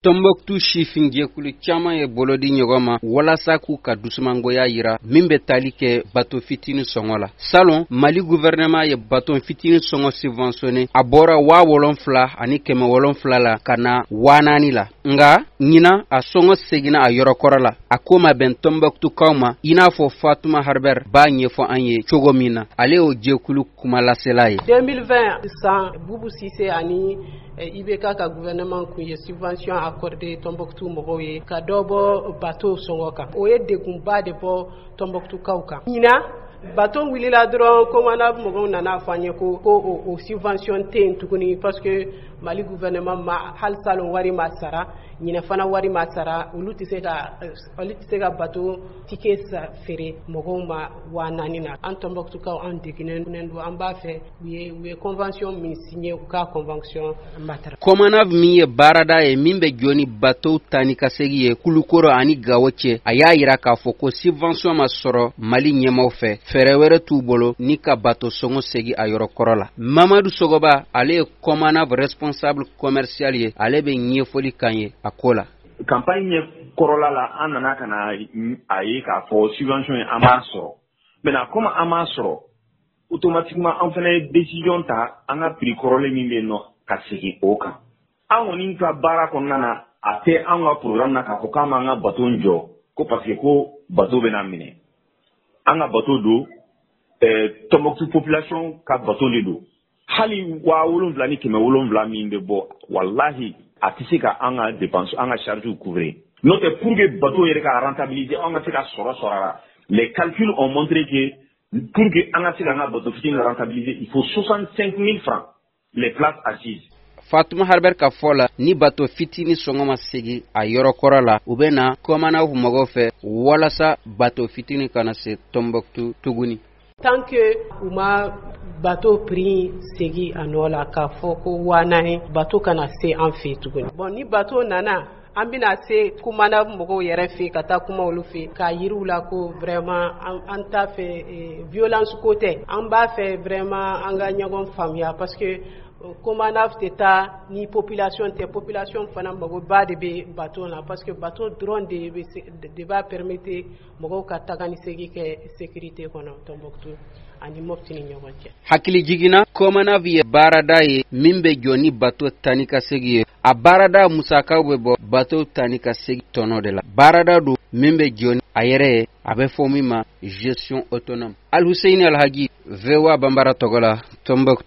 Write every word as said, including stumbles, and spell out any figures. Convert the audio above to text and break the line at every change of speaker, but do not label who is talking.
Tɔnbɔkutu sifin jɛkulu caman ye bolo di ɲɔgɔn ma walasa k'u ka dusumangoya yira min bɛ tali kɛ bato fitinin sɔngɔ la. Salon, Mali gouvernement ye bato fitinin sɔngɔ subventionné, a bɔra waa wolonfila ani kɛmɛ wolonfila la ka na waa naani la. Nka ɲinan, a sɔngɔ seginna a yɔrɔ kɔrɔ la. A ko ma bɛn Tɔnbɔkutukaw ma, i n'a fɔ Fatuma Harber b'a ɲɛfɔ an ye cogo min na, ale y'o jɛkulu kumalasela ye.
deux mille vingt san, Bubu Sise ani I B K ka gouvernement kun ye subvention accordé Tombouctou mɔgɔw ye ka dɔ bɔ bateau sɔngɔ kan. O ye degunba de bɔ Tombouctukaw kan. Ɲinan, bateau wulila dɔrɔn, COMANAV mɔgɔw nana fɔ an ye ko ko o subvention tɛ yen tuguni, parce que Mali gouvernement ma hali salon wari ma sara, ɲinɛ fana wari ma sara. Olu tɛ se ka olu tɛ se ka bateau ticket feere mɔgɔw ma waa naani na. An Tombouctukaw, an degunnen don. An b'a fɛ u ye u ye convention min signé, u ka convention matarafa.
COMANAV min ye baarada ye min bɛ jɔ ni bateau ta ni ka segi ye Kulukoro ani Gawo cɛ, a y'a yira k'a fɔ ko subvention ma sɔrɔ Mali ɲɛmaw fɛ, fɛɛrɛ wɛrɛ t'u bolo ni ka bateau sɔngɔ segi a yɔrɔ kɔrɔ la. Mamadu Sogoba, ale ye COMANAV responsable commercial ye, ale bɛ ɲɛfɔli kan ye a ko la.
Campagne ɲɛ kɔrɔla la, an nana ka na a ye k'a fɔ subvention ye an b'a sɔrɔ. Maintenant, comme an m'a sɔrɔ, automatiquement an fana ye décision ta an ka prix kɔrɔlen min bɛ yen nɔ, ka segin o kan. An kɔni ka baara kɔnɔna na, a tɛ an ka programme na k'a fɔ k'an b'an ka bateau jɔ ko parce que ko bateau bɛna minɛ. An ka bateau don, ɛɛ Tombouctou population ka bateau de don. Hali waa wolonwula ni kɛmɛ wolonwula min bɛ bɔ, walahi, a tɛ se ka an ka dépense, an ka charge couvrir. N'o tɛ, pour que bateau yɛrɛ ka rentabiliser, an ka se ka sɔrɔ sɔrɔ a la, les calculs ont montré que pour que an ka se k'an ka bateau fitinin rentabiliser, il faut soixante-cinq mille francs les places assises.
Fatuma Harber ka fɔ la, ni bato fitini sɔngɔ ma segi a yɔrɔ kɔrɔ la, u bɛ na COMANAV mɔgɔw fɛ walasa bato fitini kana se Tɔnbɔkutu tuguni.
Tant que u ma bateau prix segi a nɔ la k'a fɔ ko waa naani, bateau kana se an fɛ tuguni. Bon, ni bateau nana, an bɛna se COMANAV mɔgɔw yɛrɛ fɛ ka taa kuma olu fɛ k'a yiriw la ko vraiment an t'a fɛ, violence ko tɛ, an b'a fɛ vraiment an ka ɲɔgɔn faamuya, parce que COMANAV tɛ taa ni population tɛ. Population fana magoba de bɛ bateau la, parce que bateau dɔrɔn de bɛ de b'a permettre mɔgɔw ka taga ni segin kɛ sécurité kɔnɔ Tombouctou ani Mopti ni ɲɔgɔn cɛ.
Hakili jiginna, COMANAV ye baarada ye min bɛ jɔ ni bateau ta ni ka segi ye. A baarada musakaw bɛ bɔ bateau ta ni ka segi tɔnɔ de la. Baarada don min bɛ jɔ ni a yɛrɛ ye, a bɛ fɔ min ma gestion autonome. Alhuseini Alhaji, V O A Banbara tɔgɔ la, Tombouctou.